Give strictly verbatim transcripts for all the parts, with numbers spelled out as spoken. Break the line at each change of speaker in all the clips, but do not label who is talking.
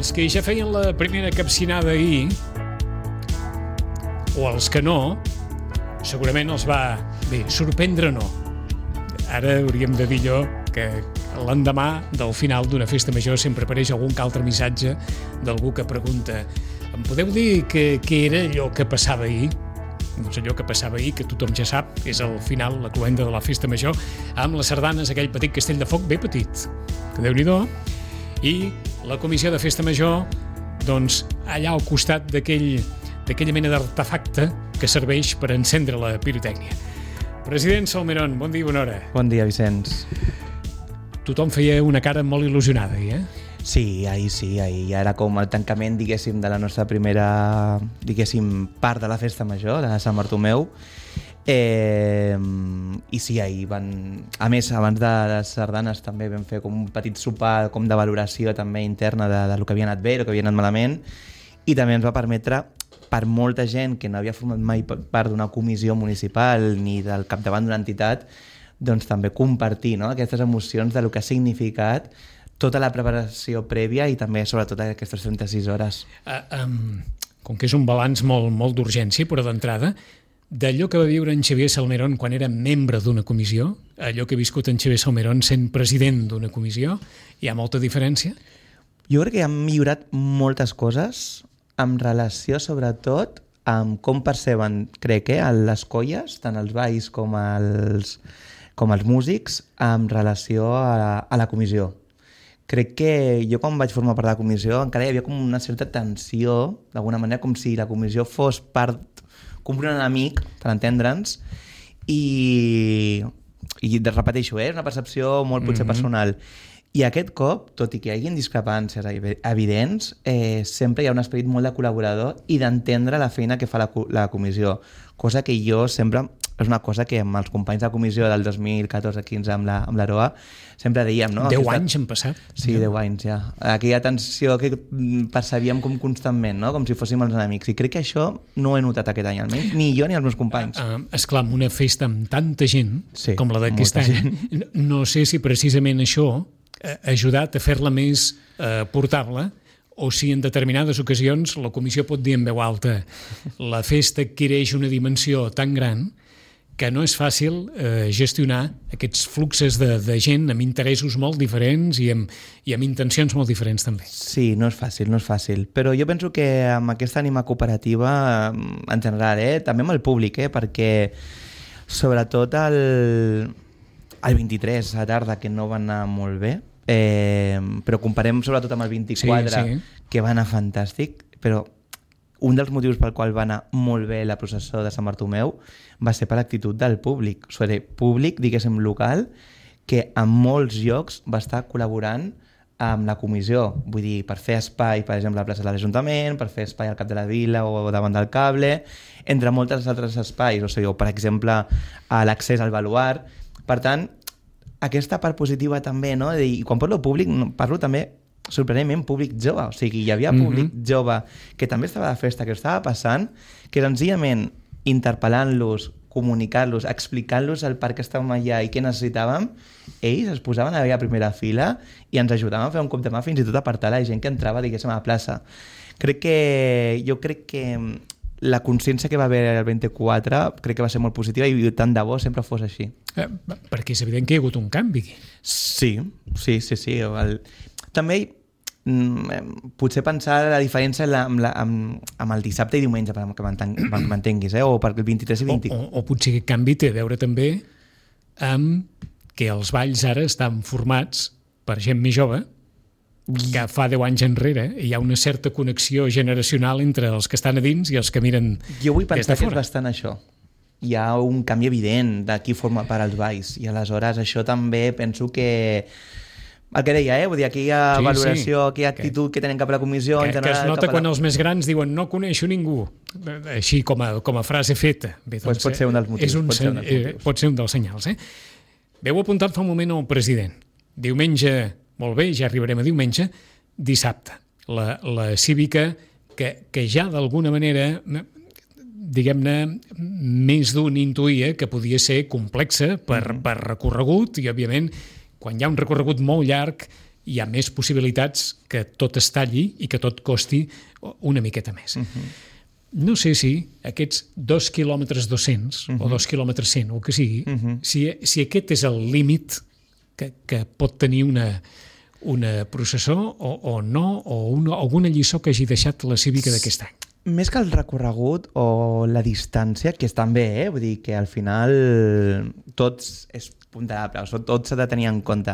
els que ja feien la primera capcinada ahir, o els que no, segurament els va, bé, sorprendre no. Ara hauríem de dir allò que l'endemà del final d'una festa major sempre apareix algun altre missatge d'algú que pregunta: em podeu dir què, què era allò que passava ahir? Doncs allò que passava ahir, que tothom ja sap, és al final la cloenda de la festa major, amb les sardanes, aquell petit castell de foc ben petit, que Déu-n'hi-do, i la comissió de festa major, doncs, allà al costat d'aquell, d'aquella mena d'artefacte que serveix per encendre la pirotècnia. President Salmerón, bon dia i bona hora.
Bon dia, Vicenç.
Tothom feia una cara molt il·lusionada, eh?
Sí, ahir sí, ahir ja era com el tancament, diguéssim, de la nostra primera, diguéssim, part de la festa major, de Sant Bartomeu. Eh, I sí, ahir van... A més, abans de les sardanes també vam fer com un petit sopar com de valoració també interna de, de lo que havia anat bé, el que havia anat malament, i també ens va permetre, per molta gent que no havia format mai part d'una comissió municipal ni del capdavant d'una entitat, doncs també compartir, no?, aquestes emocions de lo que ha significat tota la preparació prèvia i també, sobretot, aquestes trenta-sis hores.
Uh, um, com que és un balanç molt, molt d'urgència, però d'entrada, d'allò que va viure en Xavier Salmerón quan era membre d'una comissió, allò que ha viscut en Xavier Salmerón sent president d'una comissió, hi ha molta diferència?
Jo crec que han millorat moltes coses en relació, sobretot, amb com perceben, crec, eh, les colles, tant els balls com els, com els músics, en relació a, a la comissió. Crec que jo quan vaig formar part de la comissió encara hi havia com una certa tensió, d'alguna manera com si la comissió fos part, com un enemic, per entendre'ns, i, i repeteixo, eh, és una percepció molt potser mm-hmm. personal. I aquest cop, tot i que hi hagi discrepàncies evidents, eh, sempre hi ha un esperit molt de col·laborador i d'entendre la feina que fa la, la comissió, cosa que jo sempre... És una cosa que amb els companys de comissió del dos mil catorze quinze amb l'Aroa sempre dèiem, no?
Deu anys han passat.
Sí, deu anys, ja. Aquella tensió que percebíem com constantment, no? Com si fóssim els enemics. I crec que això no ho he notat aquest any, almenys, ni jo ni els meus companys.
Uh, uh, esclar, amb una festa amb tanta gent,
sí,
com la d'aquest any, gent. No sé si precisament això ha ajudat a fer-la més uh, portable, o si en determinades ocasions la comissió pot dir en veu alta: la festa adquireix una dimensió tan gran que no és fàcil eh, gestionar aquests fluxes de, de gent amb interessos molt diferents i amb, i amb intencions molt diferents també.
Sí, no és fàcil, no és fàcil. Però jo penso que amb aquesta ànima cooperativa, en general, eh, també amb el públic, eh, perquè sobretot el, el vint-i-tres a tarda, que no va anar molt bé, eh, però comparem sobretot amb el vint-i-quatre, sí, sí. que va anar fantàstic, però un dels motius pel qual va anar molt bé la processó de Sant Bartomeu va ser per l'actitud del públic. O sigui, públic, diguéssim, local, que en molts llocs va estar col·laborant amb la comissió. Vull dir, per fer espai, per exemple, a la plaça de l'Ajuntament, per fer espai al cap de la vila o davant del cable, entre molts altres espais. O sigui, o, per exemple, a l'accés al baluart. Per tant, aquesta part positiva també, no? I quan parlo públic, parlo també sorprenentment públic jove, o sigui, hi havia públic mm-hmm. jove que també estava de festa, que estava passant, que senzillament interpel·lant-los, comunicant-los, explicant-los el per què estàvem allà i què necessitàvem, ells es posaven a la primera fila i ens ajudaven a fer un cop de mà, fins i tot a apartar la gent que entrava, diguéssim, a la plaça. Crec que, jo crec que la consciència que va haver el vint-i-quatre crec que va ser molt positiva i tant de bo sempre fos així.
Eh, perquè és evident que hi ha hagut un canvi.
Sí, sí, sí, sí. El... També potser pensar la diferència amb, la, amb, amb el dissabte i diumenge, perquè m'entenguis, eh? O perquè el vint-i-tres i vint...
O, o, o potser aquest canvi té a veure també amb que els balls ara estan formats per gent més jove, que fa deu anys enrere hi ha una certa connexió generacional entre els que estan a dins i els que miren des de fora.
Jo vull pensar que és bastant això. Hi ha un canvi evident de qui forma part als balls i aleshores això també penso que... El que deia, eh? Vull dir, aquí hi ha sí, valoració, sí. Aquí hi ha actitud que, que tenen cap a la comissió...
Que,
en general,
que es nota
la...
quan els més grans diuen no coneixo ningú, així com a, com a frase feta. Bé, doncs,
pues pot ser un dels motius.
Un,
pot, ser un dels motius.
Eh, pot ser un dels senyals. Eh? Veu apuntat fa un moment al president. Diumenge, molt bé, ja arribarem a diumenge, dissabte. La, la cívica que, que ja d'alguna manera... diguem-ne, més d'un intuïa que podia ser complexa per, mm-hmm. per recorregut i, òbviament, quan hi ha un recorregut molt llarg hi ha més possibilitats que tot es talli i que tot costi una miqueta més. Uh-huh. No sé si aquests dos quilòmetres dos-cents uh-huh. o dos quilòmetres cent, o el que sigui, uh-huh. si, si aquest és el límit que, que pot tenir una, una processó o, o no, o una, alguna lliçó que hagi deixat la cívica d'aquest any.
Més que el recorregut o la distància, que és també, eh? Vull dir que al final tots és ponderable, tot s'ha de tenir en compte.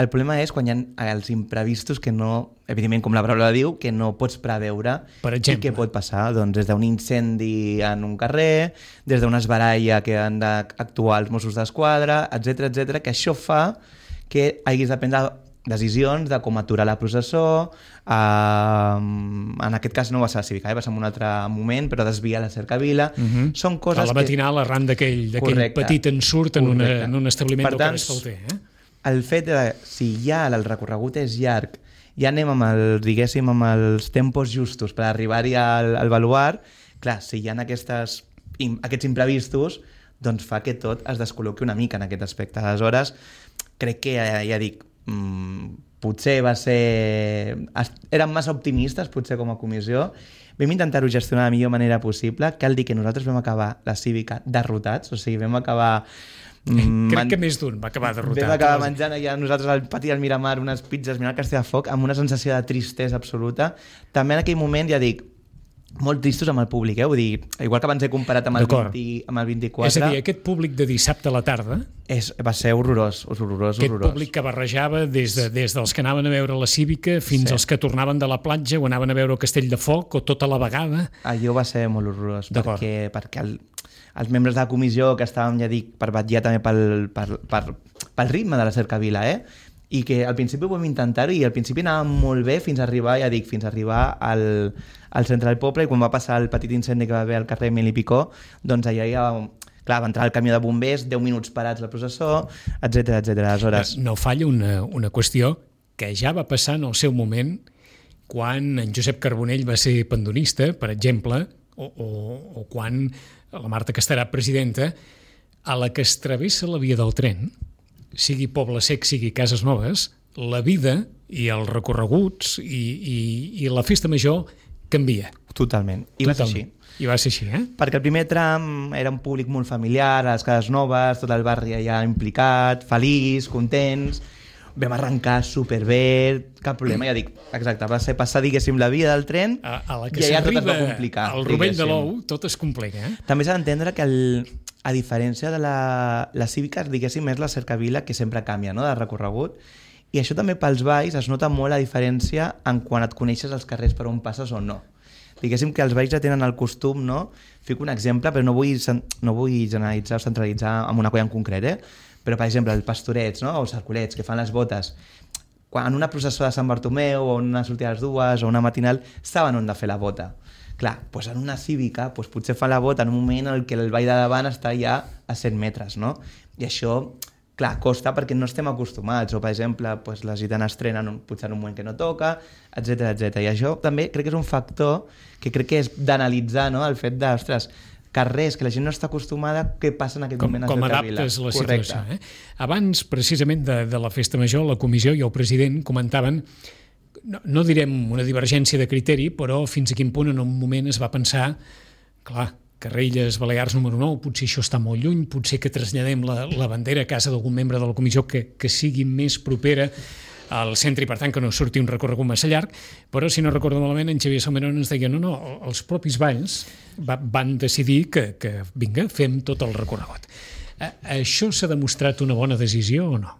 El problema és quan hi ha els imprevistos que no, evidentment, com la paraula diu, que no pots preveure.
Per exemple.
I què pot passar? Doncs des d'un incendi en un carrer, des d'una esbaralla que han d'actuar els Mossos d'Esquadra, etcètera, etcètera, que això fa que haguis de prendre decisions de com aturar la processó, eh, en aquest cas no va ser la cívica, eh, va ser en un altre moment, però desviar la cercavila. Uh-huh. Són coses
a la matinal que... arran d'aquell petit ensurt en, una, en un establiment
per
del
tant,
carrer Esfalter. Eh?
El fet de, si ja el recorregut és llarg, ja anem amb el, diguéssim, amb els tempos justos per arribar-hi al, al baluart, clar, si hi ha aquestes, aquests imprevistos, doncs fa que tot es descol·loqui una mica en aquest aspecte. Aleshores, crec que, ja, ja dic, Mm, potser va ser... Érem massa optimistes, potser, com a comissió. Vam intentar-ho gestionar de la millor manera possible. Cal dir que nosaltres vam acabar la cívica derrotats, o sigui, vam acabar...
Mm, Crec man... que més d'un va acabar derrotat.
Vam acabar menjant allà nosaltres al pati del Miramar unes pizzas mirant el Castelldefels amb una sensació de tristesa absoluta. També en aquell moment, ja dic, molt tristos amb el públic, eh? Vull dir, igual que abans he comparat amb el, vint, amb el vint-i-quatre...
És a dir, aquest públic de dissabte a la tarda...
És, va ser horrorós, horrorós,
aquest
horrorós.
Públic que barrejava des, de, des dels que anaven a veure la Cívica fins sí. als que tornaven de la platja o anaven a veure el Castell de Foc o tota la vegada...
Allò va ser molt horrorós, perquè, perquè el, els membres de la comissió que estàvem, ja dic, per batllar també pel, per, per, pel ritme de la cercavila, eh? I que al principi ho vam intentar-ho i al principi anava molt bé fins a arribar, ja dic, fins a arribar al, al centre del poble, i quan va passar el petit incendi que va haver al carrer Emili Picó, doncs allà ja, clar, va entrar el camió de bombers, deu minuts parats la processó, etcètera, etcètera. Aleshores...
No falla una, una qüestió que ja va passar en el seu moment quan en Josep Carbonell va ser pendonista, per exemple, o, o, o quan la Marta Castarà, presidenta, a la que es travessa la via del tren, sigui Poble Sec, sigui Cases Noves, la vida i els recorreguts i, i, i la festa major canvia.
Totalment. I Totalment. va ser així.
I va ser així, eh?
Perquè el primer tram era un públic molt familiar, a les Cases Noves, tot el barri allà implicat, feliç, contents, vam arrencar superbé, cap problema, ja dic, exacte, va ser passar, diguéssim, la via del tren
a, a la que
i allà tot es va
complicar. Al Rovell de l'Ou tot es complica, eh?
També s'ha d'entendre que, el, a diferència de la, la Cívica, diguéssim, és la cercavila que sempre canvia, no?, de recorregut, i això també pels balls es nota molt la diferència en quan et coneixes els carrers per on passes o no. Diguéssim que els balls ja tenen el costum, no? Fico un exemple, però no vull, no vull generalitzar o centralitzar en una colla en concret, eh? Però, per exemple, els pastorets, no?, o els arculets, que fan les botes, quan en una processó de Sant Bartomeu o en una sortida a les dues o una matinal, saben on de fer la bota. Clar, doncs en una cívica doncs potser fan la bota en un moment en què el ball de davant està ja a cent metres, no? I això, clar, costa perquè no estem acostumats, o per exemple, doncs les gitanes estrenen potser en un moment que no toca, etcètera, etcètera. I això també crec que és un factor que crec que és d'analitzar, no?, el fet de, ostres, carrers que la gent no està acostumada, què passa en aquest
com,
moment a
com
Cercavila.
adaptes la Correcte. situació. Eh? Abans, precisament, de, de la festa major, la comissió i el president comentaven, no, no direm una divergència de criteri, però fins a quin punt en un moment es va pensar, clar, Carrelles Balears número nou, potser això està molt lluny, potser que traslladem la, la bandera a casa d'algun membre de la comissió que, que sigui més propera al centre i, per tant, que no surti un recorregut massa llarg, però, si no recordo malament, en Xavier Salmerón ens deia no, no, els propis balls va, van decidir que, que, vinga, fem tot el recorregut. Eh, això s'ha demostrat una bona decisió o no?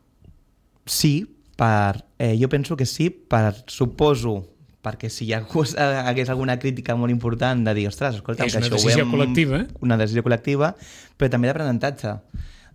Sí, per, eh, jo penso que sí, per, suposo, perquè si hi hagués alguna crítica molt important de dir, ostres, escolta,
és
que
una
això
decisió
ho
col·lectiva.
Una decisió col·lectiva, però també d'aprenentatge,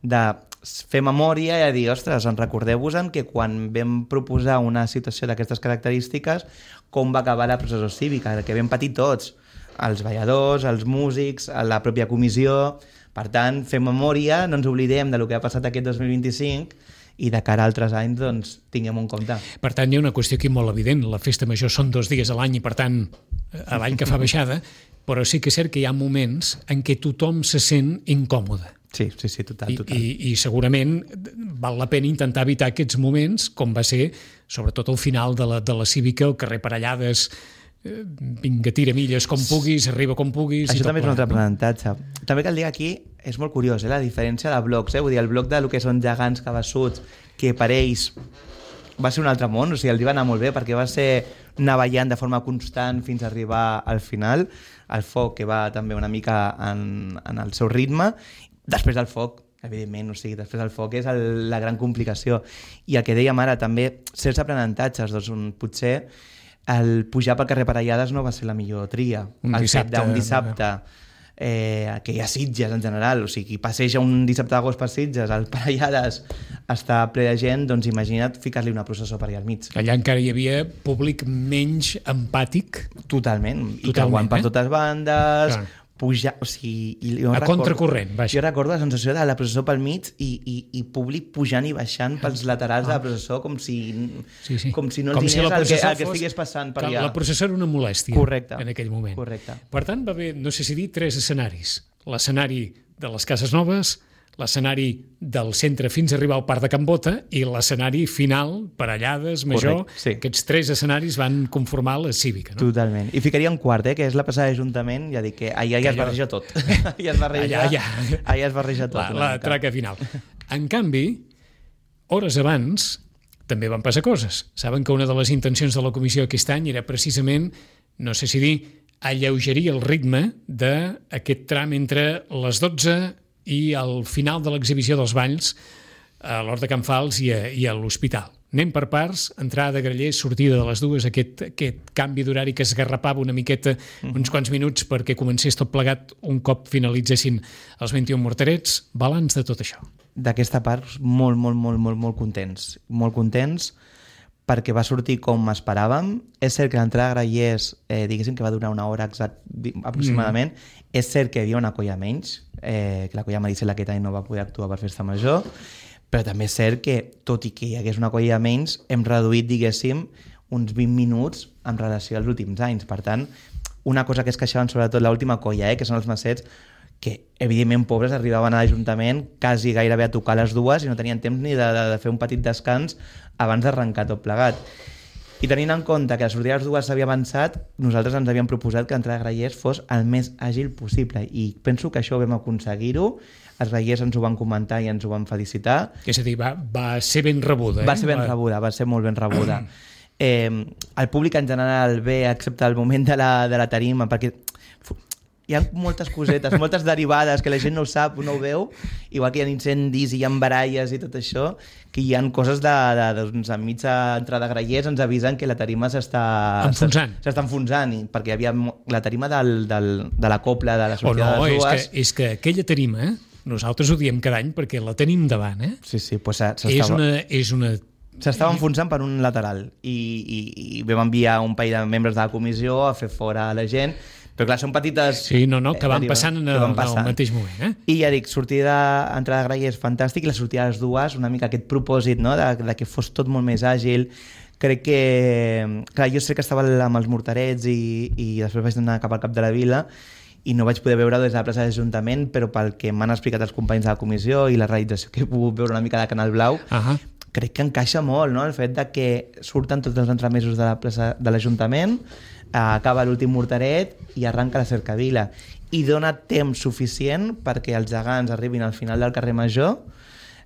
de fer memòria i dir, ostres, en recordeu-vos-en que quan vam proposar una situació d'aquestes característiques, com va acabar la processó cívica, que vam patir tots, els balladors, els músics, la pròpia comissió. Per tant, fer memòria, no ens oblidem de lo que ha passat aquest dos mil vint-i-cinc i de cara a altres anys, doncs, tinguem un compte.
Per tant, hi ha una qüestió aquí molt evident. La festa major són dos dies a l'any i, per tant, avall que fa baixada, però sí que és cert que hi ha moments en què tothom se sent incòmode.
Sí, sí, sí, total,
I,
total.
i, i segurament val la pena intentar evitar aquests moments, com va ser sobretot al final de la, de la Cívica, el carrer Parellades, eh, vinga, tira milles com puguis, arriba com puguis...
Això també és un altre
no?
aprenentatge. També cal dir que aquí és molt curiós, eh, la diferència de blocs, eh? Vull dir, el bloc de lo que són gegants cabassuts, que per ells va ser un altre món, o sigui, els va anar molt bé perquè va ser navellant de forma constant fins a arribar al final, el foc que va també una mica en, en el seu ritme, després del foc, evidentment, o sigui, després del foc és el, la gran complicació. I el que dèiem ara, també, certs aprenentatges, doncs un, potser el pujar pel carrer Parellades no va ser la millor tria.
Un
el
dissabte.
fet d'un dissabte, eh, que hi ha Sitges en general, o sigui, qui passeja un dissabte d'agost per Sitges, el Parellades està ple de gent, doncs imagina't ficar-li una processó per allà al mig.
Allà encara hi havia públic menys empàtic.
Totalment, i
Totalment,
creuant per
eh?
totes bandes,
Clar.
pujar, o sigui... I jo
A
recordo-
contracorrent, vaja.
Jo recordo la sensació de la processó pel mig i, i, i públic pujant i baixant pels laterals de la processó com si,
Sí, sí.
com si no
Com
els
si la
diners el, que,
processó
el que
fos-
estigués passant per
que
allà.
La processó era una molèstia.
Correcte.
En aquell moment.
Correcte.
Per tant, va haver, no sé si dir, tres escenaris. L'escenari de les Cases Noves, l'escenari del centre fins a arribar al Parc de Can Bota i l'escenari final, Parellades, Major.
Correcte, sí.
Aquests tres escenaris van conformar la Cívica, no?
Totalment. I ficaria un quart, eh, que és la passada d'Ajuntament, ja dic que allà ja es
allò-
barreja tot. allà es barreja,
Allà, allà.
allà es barreja tot.
La,
una
la
mica.
traca final. En canvi, hores abans també van passar coses. Saben que una de les intencions de la comissió aquest any era precisament, no sé si dir, alleugerir el ritme d'aquest tram entre les dotze i al final de l'exhibició dels balls a l'Hort de Can Fals i a, i a l'Hospital. Anem per parts, entrada de Grallers, sortida de les dues, aquest, aquest canvi d'horari que esgarrapava una miqueta, uns quants minuts perquè comencés tot plegat un cop finalitzessin els vint-i-un morterets. Balanç de tot això.
D'aquesta part, molt, molt, molt, molt, molt contents. Molt contents perquè va sortir com esperàvem. És cert que l'entrada de Grallers, eh, diguéssim que va durar una hora exact, aproximadament. Mm. És cert que hi havia una colla menys, eh, que la colla Maricel aquest any no va poder actuar per Festa Major, però també és cert que, tot i que hi hagués una colla menys, hem reduït, diguéssim, uns vint minuts en relació als últims anys. Per tant, una cosa que es queixaven sobretot l'última colla, eh, que són els massets, que evidentment pobres arribaven a l'Ajuntament quasi gairebé a tocar les dues i no tenien temps ni de, de, de fer un petit descans abans d'arrencar tot plegat. I tenint en compte que la sortida de les dues s'havia avançat, nosaltres ens havíem proposat que l'entrada de Grallers fos el més àgil possible i penso que això ho vam aconseguir-ho. Els Grallers ens ho van comentar i ens ho van felicitar.
És a dir, va, va ser ben rebuda. Eh?
Va ser ben va... rebuda, va ser molt ben rebuda. eh, el públic en general ve, excepte el moment de la, de la tarima, perquè hi ha moltes cosetes, moltes derivades que la gent no ho sap, no ho veu, igual que hi ha incendis i hi ha baralles i tot això, que hi ha coses de, de, doncs, enmig d'entrada de Grallers ens avisen que la tarima s'està
enfonsant,
s'està enfonsant i, perquè hi havia la tarima del, del, de la copla de la sortida
oh, no,
de les dues.
És que, és que aquella tarima, nosaltres ho diem cada any perquè la tenim davant, eh?
Sí, sí, pues s'estava...
És una... És una...
S'estava enfonsant per un lateral i, i, i vam enviar un parell de membres de la comissió a fer fora la gent. Però clar, són petites...
Sí, no, no, que van
eh,
passant en el,
van passant.
el mateix moment. Eh?
I ja dic, sortida, entrada de Grallers fantàstic i la sortida de les dues, una mica aquest propòsit, no?, de, de que fos tot molt més àgil. Crec que... Clar, jo sé que estava amb els morterets i, i després vaig anar cap al cap de la vila i no vaig poder veure des de la plaça de l'Ajuntament, però pel que m'han explicat els companys de la comissió i la realització que he pogut veure una mica de Canal Blau,
uh -huh.
crec que encaixa molt, no?, el fet de que surten tots els entremesos de la plaça de l'Ajuntament, acaba l'últim morteret i arranca la cercavila i dona temps suficient perquè els gegants arribin al final del carrer Major,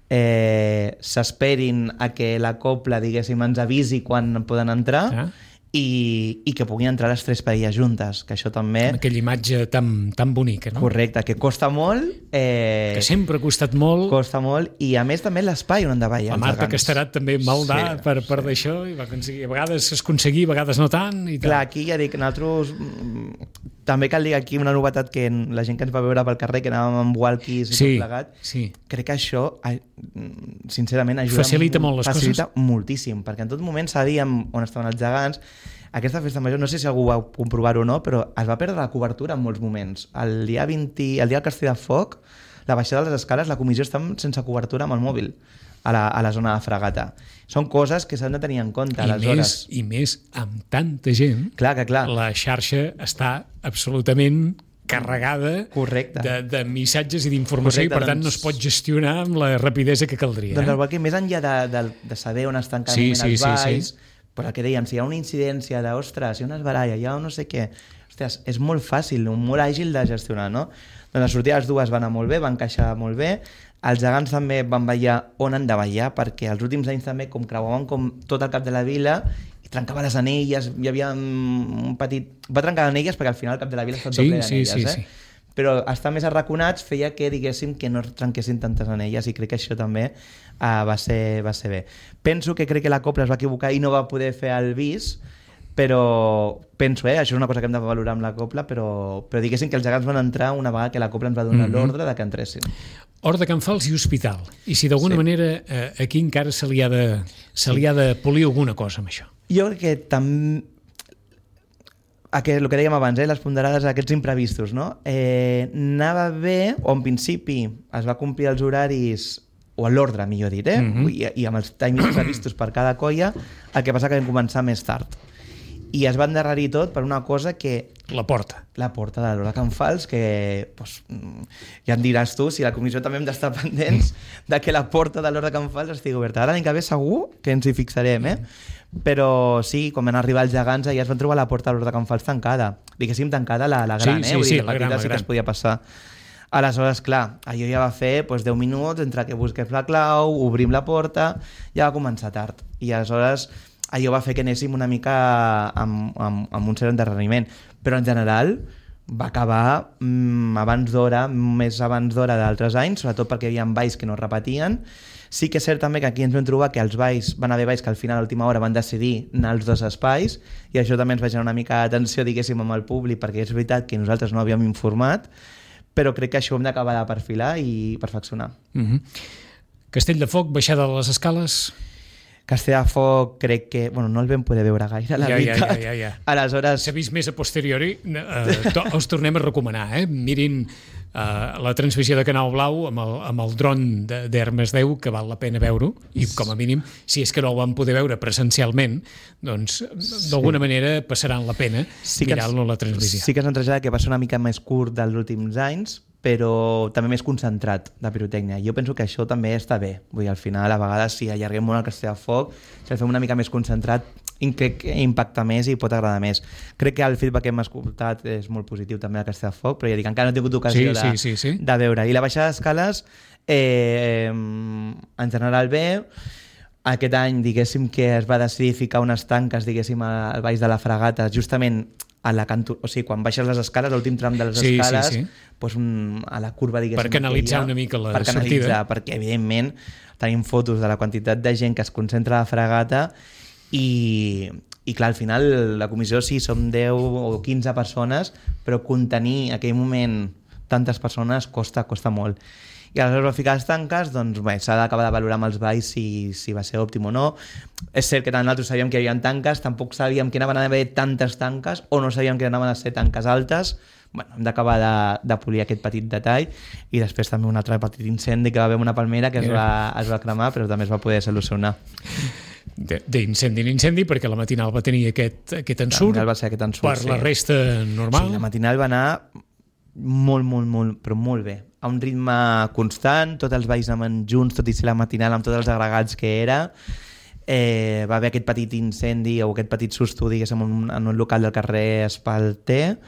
eh, s'esperin a que la copla, diguéssim, ens avisi quan poden entrar, ah. i, i que puguin entrar les tres parelles juntes, que això també...
Amb aquella imatge tan, tan bonica, no?
Correcte, que costa molt... Eh,
que sempre ha costat molt...
Costa molt, i a més també l'espai on han de ballar.
La Marta Casterat també maldà sí, per, per sí. d'això, i va aconseguir, a vegades es aconseguia, a vegades no tant. I
Clar, aquí ja dic, nosaltres... També cal dir aquí una novetat que la gent que ens va veure pel carrer, que anàvem amb walkies i sí, tot plegat,
sí.
crec que això, sincerament, ajuda...
Facilita molt les
facilita
coses.
moltíssim, perquè en tot moment sabíem on estaven els gegants. Aquesta festa major, no sé si algú va comprovar-ho o no, però es va perdre la cobertura en molts moments. El dia vint, el dia del Castell de Foc, la baixada de les escales, la comissió està sense cobertura amb el mòbil a la, a la zona de Fragata. Són coses que s'han de tenir en compte.
I,
aleshores.
més, I més amb tanta gent,
clar que clar.
La xarxa està absolutament carregada
Correcte.
de, de missatges i d'informació, i per tant
doncs...
no es pot gestionar amb la rapidesa que caldria.
Doncs
eh?
el walking, més enllà de, de, de saber on estan cada
sí,
moment
sí,
els balls,
sí, sí.
però el que dèiem, si hi ha una incidència de, ostres, hi ha una esbaralla, hi ha no sé què, ostres, és molt fàcil, molt àgil de gestionar, no? Doncs la sortida de les dues va anar molt bé, van encaixar molt bé, els gegants també van ballar on han de ballar, perquè els últims anys també, com creuaven com tot el cap de la vila, i trencava les anelles, hi havia un petit... Va trencar anelles perquè al final el cap de la vila està tot
sí,
ple d'anelles,
sí, sí,
eh?
sí.
Però estar més arraconats feia que, diguéssim, que no trenquessin tantes anelles, i crec que això també uh, va, ser, va ser bé. Penso que crec que la Copla es va equivocar i no va poder fer el bis, però penso, eh, això és una cosa que hem de valorar amb la Copla, però, però diguéssim que els gegants van entrar una vegada que la Copla ens va donar mm -hmm. l'ordre de que entressin.
Hort de Can Fals i Hospital. I si d'alguna sí. manera eh, aquí encara se li, ha de, se li ha de polir alguna cosa amb això.
Jo crec que també... Aquest, el que dèiem abans, eh, les ponderades, aquests imprevistos, no? Eh, anava bé, o en principi es va complir els horaris, o l'ordre, millor dit, eh? Mm -hmm. I, i amb els timings previstos per cada colla, el que passa que vam començar més tard. I es va endarrerir tot per una cosa que...
La porta.
La porta de l'Hort de Can Fals, que pues, ja em diràs tu, si la comissió també hem d'estar pendents de que la porta de l'Hort de Can Fals estigui oberta. Ara l'any que ve segur que ens hi fixarem, eh? Però sí, quan van arribar els gegants, ja es van trobar la porta de l'Hort de Can Fals tancada. Diguéssim, tancada la, la gran,
sí,
eh? Vull
sí,
dir,
sí,
la
la gran, la
sí
gran.
que es podia passar. Aleshores, clar, allò ja va fer pues, deu minuts entre que busques la clau, obrim la porta, ja va començar tard. I aleshores allò va fer que anéssim una mica amb, amb, amb un cert endarreriment. Però en general va acabar mmm, abans d'hora, més abans d'hora d'altres anys, sobretot perquè hi havia balls que no repetien. Sí que és cert també que aquí ens vam trobar que els balls, van haver balls que al final a l'última hora van decidir anar als dos espais, i això també ens va generar una mica de tensió, diguéssim, amb el públic, perquè és veritat que nosaltres no havíem informat, però crec que això ho hem d'acabar de perfilar i perfeccionar.
Mm-hmm. Castell de Foc, baixada de les escales...
Castell de Foc crec que... Bueno, no el vam poder veure gaire, la
ja,
veritat.
Ja, ja, ja, ja.
Aleshores...
S'ha vist més a posteriori. Eh, to, els tornem a recomanar, eh? Mirin eh, la transmissió de Canal Blau amb el, amb el dron d'Hermes deu, que val la pena veure-ho, i com a mínim, si és que no el van poder veure presencialment, doncs d'alguna sí. manera passaran la pena sí mirar-lo a la transmissió.
Sí que s'han traslladat que va ser una mica més curt dels últims anys, però també més concentrat de pirotècnia. Jo penso que això també està bé. Vull dir, al final, a vegades, si allarguem molt el Castell de Foc, si el fem una mica més concentrat, crec que impacta més i pot agradar més. Crec que el feedback que hem escoltat és molt positiu també al Castell de Foc, però ja dic, encara no he tingut ocasió
sí,
de,
sí, sí, sí.
de veure. I la baixada d'escales, eh, en general bé. Aquest any, diguéssim, que es va decidir ficar unes tanques, diguéssim, al baix de la Fragata, justament a la canto... o sigui, quan baixes les escales, l'últim tram de les
sí,
escales,
sí, sí.
Pues un, a la curva, diguéssim...
Per canalitzar una mica la
per
sortida.
Canalitzar, perquè, evidentment, tenim fotos de la quantitat de gent que es concentra a la Fragata i, i clar, al final, la comissió sí, som deu o quinze persones, però contenir aquell moment tantes persones costa, costa molt. I aleshores va ficar les tanques, doncs bé, s'ha d'acabar de valorar amb els balls si, si va ser òptim o no. És cert que tant nosaltres sabíem que hi havia tanques, tampoc sabíem que anaven a haver tantes tanques, o no sabíem que anaven a ser tanques altes. Bueno, hem d'acabar de, de polir aquest petit detall, i després també un altre petit incendi que va haver una palmera que es va, es va cremar, però també es va poder solucionar.
D'incendi en incendi, perquè la matinal va tenir aquest, aquest ensurt,
va ser aquest ensurt,
per
sí.
La resta normal.
Sí, la matinal va anar molt, molt, molt, però molt bé. A un ritme constant, tots els balls anaven junts, tot i ser la matinal amb tots els agregats que era. Eh, va haver aquest petit incendi o aquest petit susto, diguéssim, en un, en un local del carrer Espalter.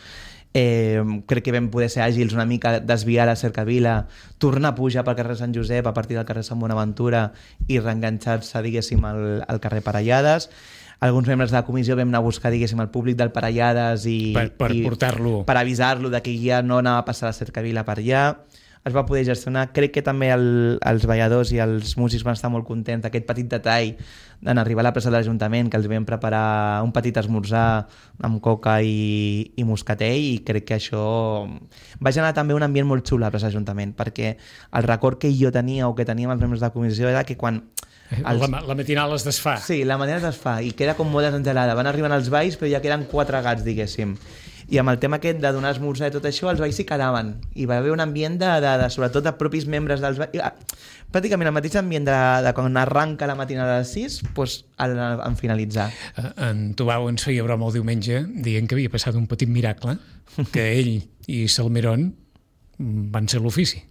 Eh, crec que vam poder ser àgils una mica, desviar la cercavila, tornar a pujar pel carrer Sant Josep a partir del carrer Sant Bonaventura i reenganxar-se, diguéssim, al, al carrer Parellades. Alguns membres de la comissió vam anar a buscar, diguéssim, el públic del Parellades i,
per, per
i
portar-lo,
per avisar-lo de que ja no anava a passar la cercavila per allà. Es va poder gestionar. Crec que també el, els balladors i els músics van estar molt contents d'aquest petit detall en arribar a la plaça de l'Ajuntament, que els vam preparar un petit esmorzar amb coca i, i moscatell, i crec que això va generar també un ambient molt xulo a la plaça de l'Ajuntament, perquè el record que jo tenia o que teníem els membres de la comissió era que quan
Els... La, la matinal es desfà.
Sí, la matinal es desfà i queda com molt desengelada. Van arribant els balls, però ja queden quatre gats, diguéssim. I amb el tema aquest de donar esmorzar i tot això, els veïns s'hi quedaven. I va haver un ambient de, de, de sobretot de propis membres dels veïns. Pràcticament el mateix ambient de, de quan arranca la matinada a les sis, doncs en, en finalitzar.
En Tubau ens feia broma el diumenge dient que havia passat un petit miracle, que ell i Salmerón van ser l'ofici.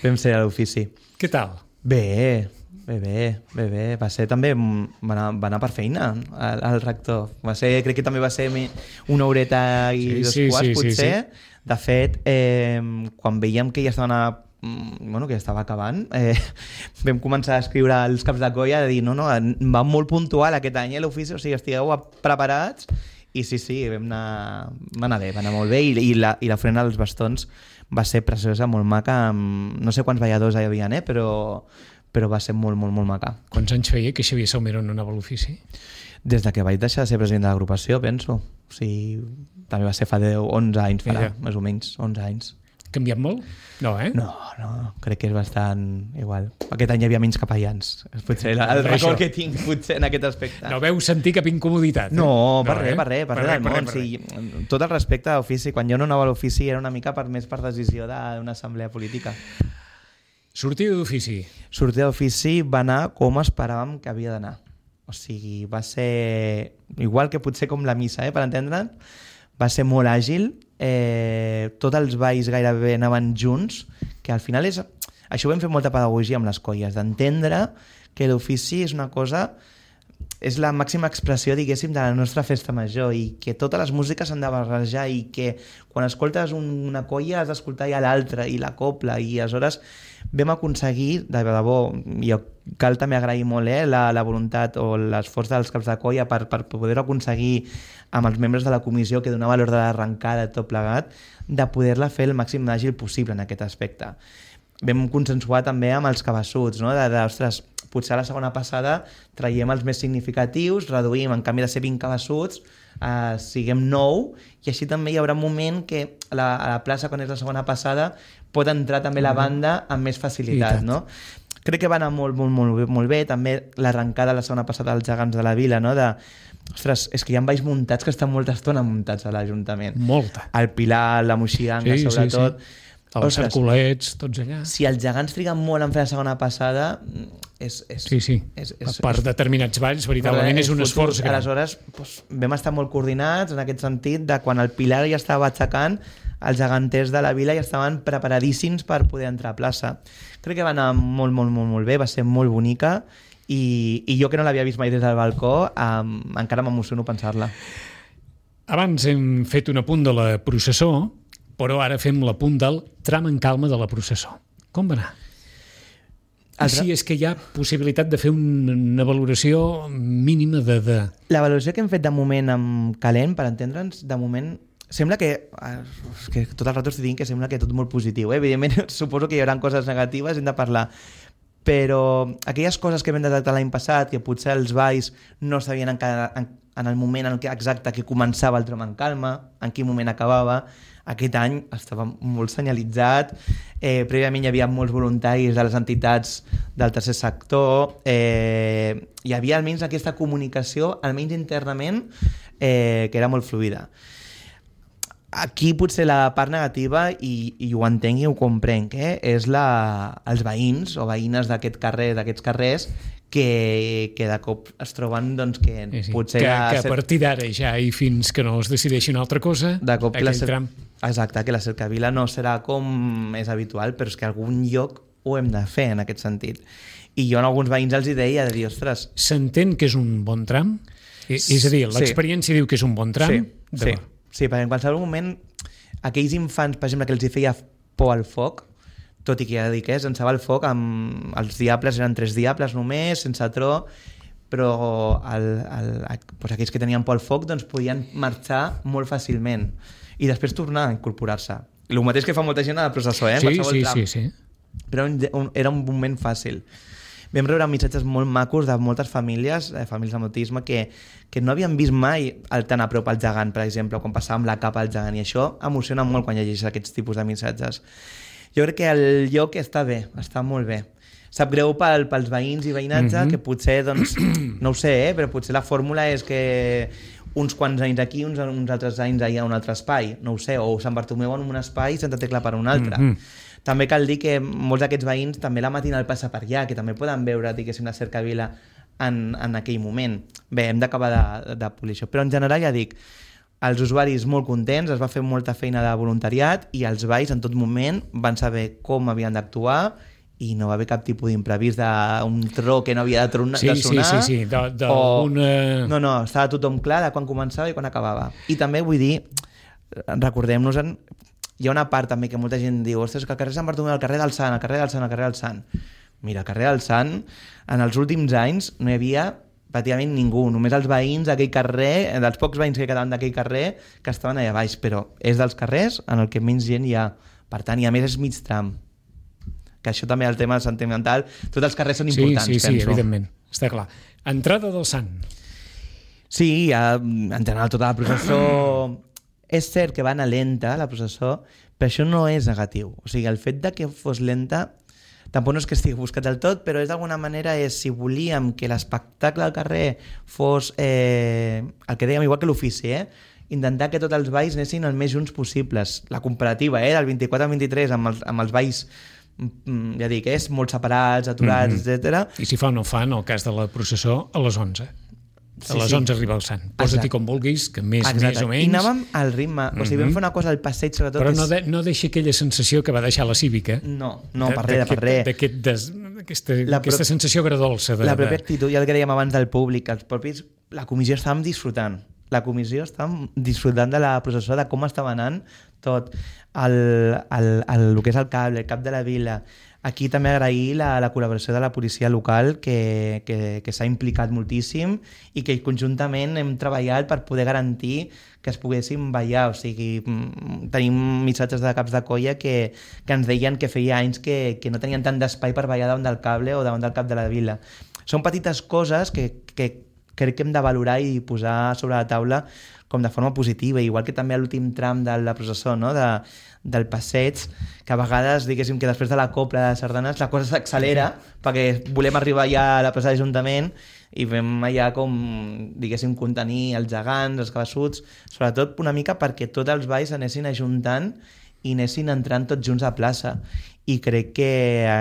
Vam ser a l'ofici.
Què tal?
Bé, bé, bé, bé, bé. Va ser també, va anar, va anar per feina al, al rector. Va ser, crec que també va ser una horeta i sí, dos sí, quarts, sí, potser. Sí, sí. De fet, eh, quan veiem que ja estaven a, bueno, que ja estava acabant, eh, vam començar a escriure els caps de colla, de dir, no, no, va molt puntual aquest any a l'ofici, o sigui, estigueu preparats. I sí, sí, vam anar, va anar bé, va anar molt bé, i, i, la, i la frena dels bastons va ser preciosa, molt maca, amb, no sé quants balladors hi havia, eh, però, però va ser molt, molt, molt maca.
Quants anys feia que Xavier Salmerón no anava a l'ofici?
Des de que vaig deixar de ser president de l'agrupació, penso. O sigui, també va ser fa deu, onze anys, farà, Mira. més o menys, onze anys.
Canviat molt? No, eh?
No, no, crec que és bastant igual. Aquest any hi havia menys capellans. Potser el, el record que tinc potser en aquest aspecte.
No veu sentir cap incomoditat? Eh?
No, per no, res, eh? per res, per res del món. Sí, tot el respecte a l'ofici. Quan jo no anava a l'ofici era una mica per més per decisió d'una assemblea política.
Sortida d'ofici.
Sortida d'ofici va anar com esperàvem que havia d'anar. O sigui, va ser igual que potser com la missa, eh, per entendre'n. Va ser molt àgil, eh, tots els balls gairebé anaven junts, que al final és... Això ho vam fer molta pedagogia amb les colles, d'entendre que l'ofici és una cosa... és la màxima expressió, diguéssim, de la nostra festa major, i que totes les músiques s'han de barrejar, i que quan escoltes una colla has d'escoltar ja l'altra, i la copla, i aleshores vam aconseguir, de debò, i cal també agrair molt eh, la, la voluntat o l'esforç dels caps de colla per, per poder-ho aconseguir amb els membres de la comissió que donava l'ordre d'arrencada tot plegat, de poder-la fer el màxim d'àgil possible en aquest aspecte. Vam consensuar també amb els cabassuts, no? de, de, ostres, potser a la segona passada traiem els més significatius, reduïm, en canvi de ser vint cabassuts, eh, siguem nou, i així també hi haurà un moment que a la, a la plaça, quan és la segona passada, pot entrar també la banda amb més facilitat. No? Crec que va anar molt, molt, molt, molt bé. També l'arrencada la segona passada dels gegants de la vila, no? de, ostres, és que hi ha balls muntats que estan molta estona muntats a l'Ajuntament.
Molta.
El Pilar, la Moixiganga, sí, sobretot.
Sí, sí. Els cerculets, tots allà.
Si els gegants triguen molt en fer la segona passada, és... és
sí, sí.
És, és,
per
és,
determinats balls, veritablement, és, és un futur. Esforç gran.
Aleshores, doncs, vam estar molt coordinats en aquest sentit, de quan el Pilar ja estava aixecant, els geganters de la vila ja estaven preparadíssims per poder entrar a plaça. Crec que va anar molt, molt, molt, molt bé, va ser molt bonica, i, i jo que no l'havia vist mai des del balcó, um, encara m'emociono pensar-la.
Abans hem fet un apunt de la processó, però ara fem l'apunt del tram en calma de la processó. Com va anar? I si és que hi ha possibilitat de fer una valoració mínima de... de...
La valoració que hem fet de moment amb Calent, per entendre'ns, de moment sembla que, que tot el rato estic dient que sembla que tot molt positiu. Eh? Evidentment, suposo que hi haurà coses negatives, hem de parlar. Però aquelles coses que vam detectar l'any passat, que potser els balls no sabien en, en, en el moment en què exacte que començava el tram en calma, en quin moment acabava, aquest any estava molt senyalitzat, eh, prèviament hi havia molts voluntaris de les entitats del tercer sector, eh, hi havia almenys aquesta comunicació, almenys internament, eh, que era molt fluida. Aquí potser la part negativa, i, i ho entenc i ho comprenc, eh, és la, els veïns o veïnes d'aquest carrer, d'aquests carrers, que, que de cop es troben doncs, que
sí, sí.
potser...
Que, que a partir d'ara ja i fins que no es decideixi una altra cosa,
de cop
aquell
la cer...
tram...
Exacte, que la cercavila no serà com és habitual, però és que algun lloc ho hem de fer en aquest sentit. I jo en alguns veïns els hi deia de dir, ostres...
S'entén que és un bon tram? És a dir, l'experiència sí. diu que és un bon tram?
Sí, sí. sí, perquè en qualsevol moment aquells infants, per exemple, que els hi feia por al foc, tot i que ja dic, eh, sense el foc, amb els diables eren tres diables només, sense tro, però el, el, doncs aquells que tenien por al foc doncs podien marxar molt fàcilment i després tornar a incorporar-se. El mateix que fa molta gent a la processó, eh?
Sí, sí, sí, sí.
Però era un moment fàcil. Vam rebre missatges molt macos de moltes famílies, eh, famílies amb autisme, que, que no havien vist mai el tan a prop al gegant, per exemple, quan passàvem la capa al gegant, i això emociona molt quan llegeixes aquests tipus de missatges. Jo crec que el lloc està bé, està molt bé. Sap greu pel, pels veïns i veïnatge, mm-hmm. que potser, doncs, no ho sé, eh, però potser la fórmula és que uns quants anys aquí, uns, uns altres anys allà a un altre espai, no ho sé, o Sant Bartomeu en un espai i Santa Tecla per un altre. Mm-hmm. També cal dir que molts d'aquests veïns també la matinal passa per allà, que també poden veure, diguéssim, la cercavila en, en aquell moment. Bé, hem d'acabar de, de polir això. Però en general, ja dic, els usuaris molt contents, es va fer molta feina de voluntariat i els balls en tot moment van saber com havien d'actuar i no va haver cap tipus d'imprevist d'un tro que no havia de, tronar,
sí,
de sonar.
Sí, sí, sí. De, de
o...
una...
No, no, estava tothom clar de quan començava i quan acabava. I també vull dir, recordem-nos, en... hi ha una part també que molta gent diu, ostres, que el carrer Sant Bartomeu, el carrer del Sant, el carrer del Sant, el carrer del Sant. Mira, el carrer del Sant, en els últims anys no hi havia pràcticament ningú, només els veïns d'aquell carrer, dels pocs veïns que quedaven d'aquell carrer, que estaven allà baix, però és dels carrers en el que menys gent hi ha. Per tant, i a més és mig tram. Que això també, el tema sentimental, tots els carrers són importants,
sí, sí,
penso.
Sí, evidentment, està clar. Entrada del Sant.
Sí, ja, en general tota la processó... És cert que va anar lenta, la processó, però això no és negatiu. O sigui, el fet de que fos lenta tampoc no és que estigui buscat del tot, però és d'alguna manera és, si volíem que l'espectacle al carrer fos eh, el que dèiem, igual que l'ofici, eh? Intentar que tots els balls anessin el més junts possibles. La comparativa, eh? del vint-i-quatre al vint-i-tres amb els, amb els balls, ja dic, és molt separats, aturats, mm-hmm. etcètera.
I si fa o no fa, en el cas de la processó, a les onze. A les sí, onze sí. arriba el Sant. Posa-t'hi com vulguis, que més, Exacte. més o menys...
I anàvem al ritme. O sigui, mm-hmm. vam fer una cosa al passeig, sobretot...
Però no,
és...
de, no deixa aquella sensació que va deixar la Cívica.
No, no, per res, per res.
D'aquest des... aquesta, aquesta sensació agradolça. De,
la pròpia actitud, i el que dèiem abans del públic, els propis... La comissió estàvem disfrutant. La comissió estàvem disfrutant de la processó, de com estava anant tot. El, el, el, el que és el cable, el cap de la vila... Aquí també agrair la, la col·laboració de la policia local que, que, que s'ha implicat moltíssim i que conjuntament hem treballat per poder garantir que es poguessin ballar. O sigui, tenim missatges de caps de colla que, que ens deien que feia anys que, que no tenien tant d'espai per ballar davant del cable o davant del cap de la vila. Són petites coses que, que crec que hem de valorar i posar sobre la taula com de forma positiva, igual que també a l'últim tram de la processó, no? de, del passeig, que a vegades, diguéssim, que després de la copla de sardanes la cosa s'accelera perquè volem arribar ja a la plaça de l'Ajuntament i vam allà com, diguéssim, contenir els gegants, els cabassuts, sobretot una mica perquè tots els balls anessin ajuntant i anessin entrant tots junts a plaça. I crec que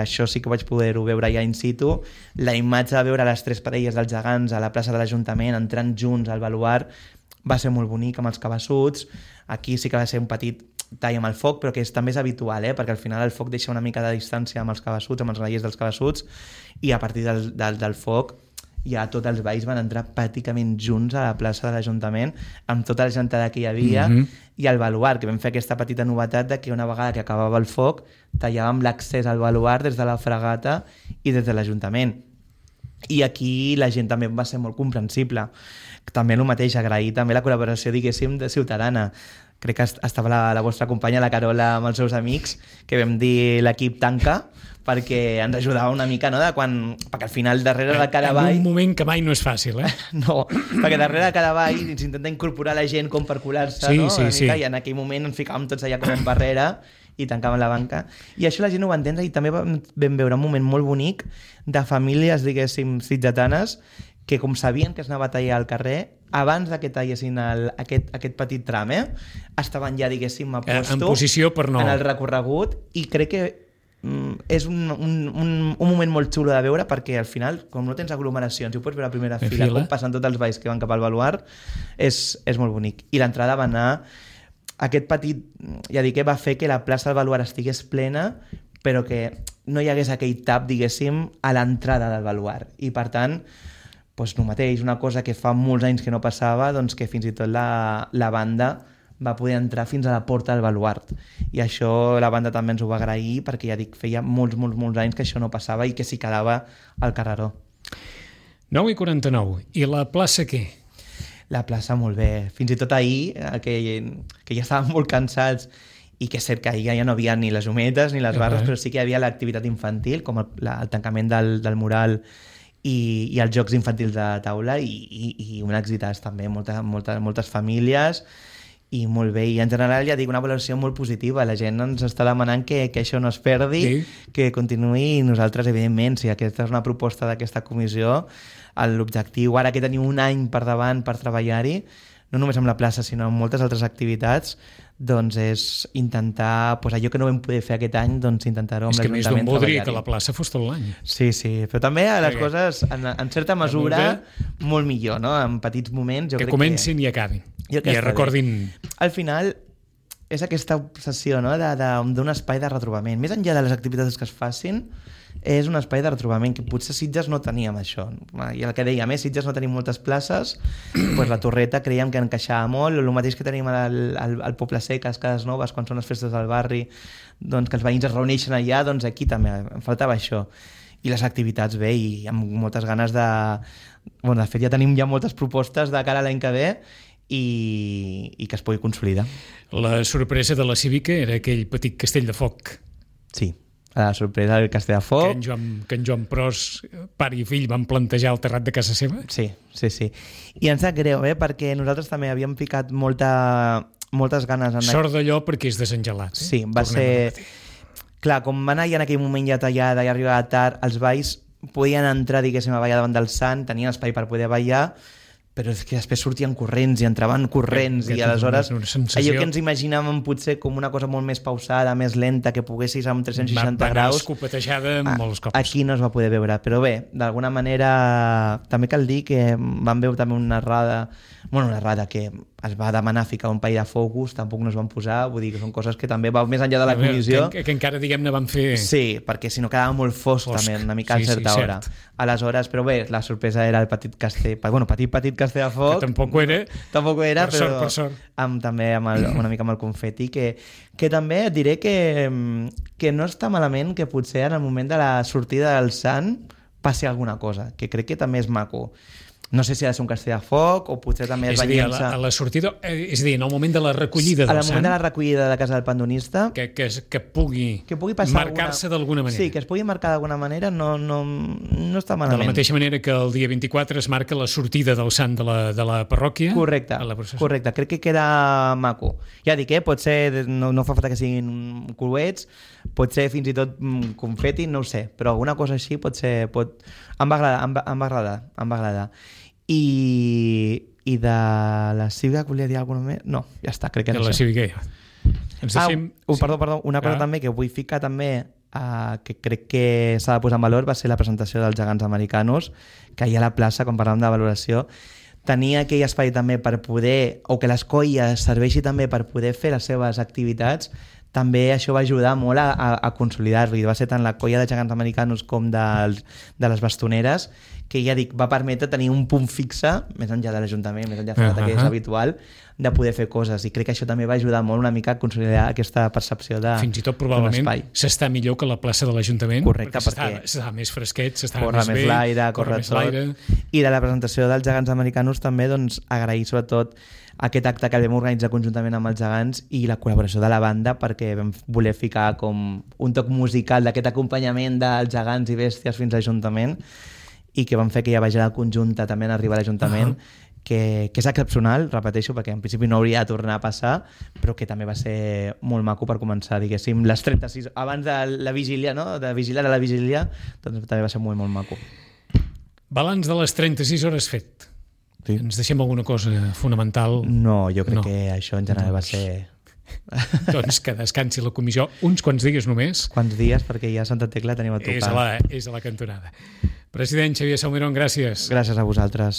això sí que vaig poder-ho veure ja in situ. La imatge de veure les tres parelles dels gegants a la plaça de l'Ajuntament entrant junts al baluard va ser molt bonic amb els cabassuts. Aquí sí que va ser un petit tall amb el foc, però que és, també és habitual, eh? Perquè al final el foc deixa una mica de distància amb els cabassuts, amb els grallers dels cabassuts, i a partir del, del, del foc ja tots els balls van entrar pràcticament junts a la plaça de l'Ajuntament amb tota la gentada que hi havia, mm-hmm. i al baluard, que vam fer aquesta petita novetat de que una vegada que acabava el foc tallàvem l'accés al baluard des de la fregata i des de l'Ajuntament. I aquí la gent també va ser molt comprensible. També el mateix, agrair també la col·laboració, diguéssim, de ciutadana. Crec que estava la, la vostra companya, la Carola, amb els seus amics, que vam dir l'equip tanca, perquè ens ajudava una mica, no? De quan, perquè al final darrere de cada ball...
En un moment que mai no és fàcil, eh?
No, perquè darrere de cada ball s'intenta incorporar la gent com per colar-se,
sí,
no?
Sí,
mica,
sí.
I en aquell moment ens ficàvem tots allà com en barrera i tancàvem la banca. I això la gent ho va entendre, i també vam, vam veure un moment molt bonic de famílies, diguéssim, sitgetanes, que com sabien que es anava a tallar al carrer, abans que tallessin el, aquest, aquest petit tram, eh, estaven ja, diguéssim, a posto,
en posició per no...
en el recorregut, i crec que mm, és un, un, un, un moment molt xulo de veure, perquè al final, com no tens aglomeracions i ho pots veure a primera fila, fila, com passen tots els balls que van cap al baluard, és, és molt bonic. I l'entrada va anar... Aquest petit, ja dic, que va fer que la plaça del baluard estigués plena, però que no hi hagués aquell tap, diguéssim, a l'entrada del baluard. I, per tant, doncs el mateix, una cosa que fa molts anys que no passava, doncs que fins i tot la, la banda va poder entrar fins a la porta del baluard. I això la banda també ens ho va agrair, perquè ja dic, feia molts, molts, molts anys que això no passava i que s'hi quedava al carreró.
nou i quaranta-nou. I la plaça què?
La plaça molt bé. Fins i tot ahir, que, que ja estàvem molt cansats, i que és cert que ahir ja no havia ni les humetes ni les barres, uh-huh. però sí que hi havia l'activitat infantil, com el, la, el tancament del, del mural i, i els jocs infantils de taula, i, i, i un èxitàs també, molta, molta, moltes famílies, i molt bé. I en general, ja dic, una valoració molt positiva. La gent ens està demanant que, que això no es perdi, sí. que continuï, i nosaltres, evidentment, si aquesta és una proposta d'aquesta comissió, l'objectiu, ara que tenim un any per davant per treballar-hi, no només amb la plaça, sinó amb moltes altres activitats, doncs és intentar, doncs allò que no vam poder fer aquest any, doncs intentar-ho amb l'Ajuntament.
És que més d'un voldria que la plaça fos tot l'any.
Sí, sí, però també les coses, en, en certa mesura, molt millor, no? En petits moments, jo
que
crec
comencin
que...
i acabin.
I
es recordin...
Al final, és aquesta obsessió, no?, d'un espai de retrobament. Més enllà de les activitats que es facin, és un espai de retrobament que potser Sitges no teníem això. I el que dèiem, eh? Sitges no tenim moltes places, doncs la Torreta creiem que encaixava molt, el mateix que tenim al, al, al Poble Sec, a les Cases Noves, quan són les festes del barri, doncs que els veïns es reuneixen allà, doncs aquí també em faltava això. I les activitats bé, i amb moltes ganes de... Bueno, de fet ja tenim ja moltes propostes de cara a l'any que ve, i, i que es pugui consolidar.
La sorpresa de la Cívica era aquell petit castell de foc.
Sí, la sorpresa del Castell de Foc.
Que en Joan, que en Joan Pros, pare i fill, van plantejar al terrat de casa seva.
Sí, sí, sí. I ens sap greu, eh? Perquè nosaltres també havíem ficat molta, moltes ganes. En
Sort d'allò perquè és desengelat. Eh?
Sí, va Tornem ser... Clar, com va anar ja en aquell moment ja tallada i arribava tard, els balls podien entrar, diguéssim, a ballar davant del Sant, tenien espai per poder ballar, però és que després sortien corrents i entraven corrents que, que i aleshores sensació... allò que ens imaginàvem potser com una cosa molt més pausada, més lenta, que poguessis amb tres cents seixanta
va, va
graus...
Va escopetejada a, molts cops.
Aquí no es va poder veure, però bé, d'alguna manera també cal dir que vam veure també una errada, bueno, una errada que es va demanar ficar un paell de focus, tampoc no es van posar, vull dir que són coses que també va més enllà de la comissió.
Que, que encara, diguem-ne, van fer...
Sí, perquè si no quedava molt fosc, fosc. també, una mica sí, a certa sí, hora. Cert. Aleshores, però bé, la sorpresa era el petit castell, bueno, petit, petit castell de foc.
Que tampoc ho era.
Tampoc ho era,
per
però
sort, per sort.
Amb, també amb el, una mica amb el confeti, que, que també et diré que, que no està malament que potser en el moment de la sortida del Sant passi alguna cosa, que crec que també és maco. No sé si ha de ser un castell de foc o potser també es va llençar...
A la, a la sortida, és a dir, en el moment de la recollida del Sant...
En el moment de la recollida de casa del pandonista...
Que, que, que pugui, que pugui marcar-se alguna... d'alguna manera.
Sí, que es pugui marcar d'alguna manera no, no, no està malament.
De la mateixa manera que el dia vint-i-quatre es marca la sortida del Sant de la, de la parròquia...
Correcte, correcte. Crec que queda maco. Ja dic, eh? Pot ser... No, no fa falta que siguin coets, pot ser fins i tot confeti, no ho sé, però alguna cosa així pot ser... Pot... Em va agradar, em va, em va agradar, em va agradar. I, i de la Cívica volia dir alguna més? No, ja està, crec que
de
no
la
sé.
Cívica ens deixem...
ah, uh, perdó, perdó, una cosa ah. també que vull ficar també uh, que crec que s'ha de posar en valor va ser la presentació dels gegants americanos, que ahir a la plaça, quan parlàvem de valoració, tenia aquell espai també per poder, o que les colles serveixi també per poder fer les seves activitats. També això va ajudar molt a, a, a consolidar-lo, i va ser tant la colla de gegants americanos com dels, de les bastoneres, que ja dic, va permetre tenir un punt fixe, més enllà de l'Ajuntament, més enllà de uh-huh. que és habitual, de poder fer coses, i crec que això també va ajudar molt una mica a consolidar aquesta percepció de
fins i tot probablement s'està millor que la plaça de l'Ajuntament.
Correcte, perquè,
perquè s'està més fresquet, s'està
més,
més
bé, l'aire,
corre més l'aire.
I de la presentació dels gegants americanos també doncs, agrair sobretot aquest acte que vam organitzar conjuntament amb els gegants i la col·laboració de la banda, perquè vam voler ficar com un toc musical d'aquest acompanyament dels gegants i bèsties fins a l'Ajuntament, i que van fer que ja vagi la conjunta també en arribar a l'Ajuntament, uh-huh. que, que és excepcional, repeteixo, perquè en principi no hauria de tornar a passar, però que també va ser molt maco per començar, diguéssim, les trenta-sis, abans de la vigília, no? De vigilar a la vigília, doncs també va ser molt, molt maco.
Balanç de les trenta-sis hores fet.
Sí.
Ens deixem alguna cosa fonamental?
No, jo crec
no.
que això en general doncs... va ser...
doncs que descansi la comissió uns quants dies només.
Quants dies, perquè ja Santa Tecla tenim a tocar.
És a la, és a la cantonada. President Xavier Salmerón, gràcies.
Gràcies a vosaltres.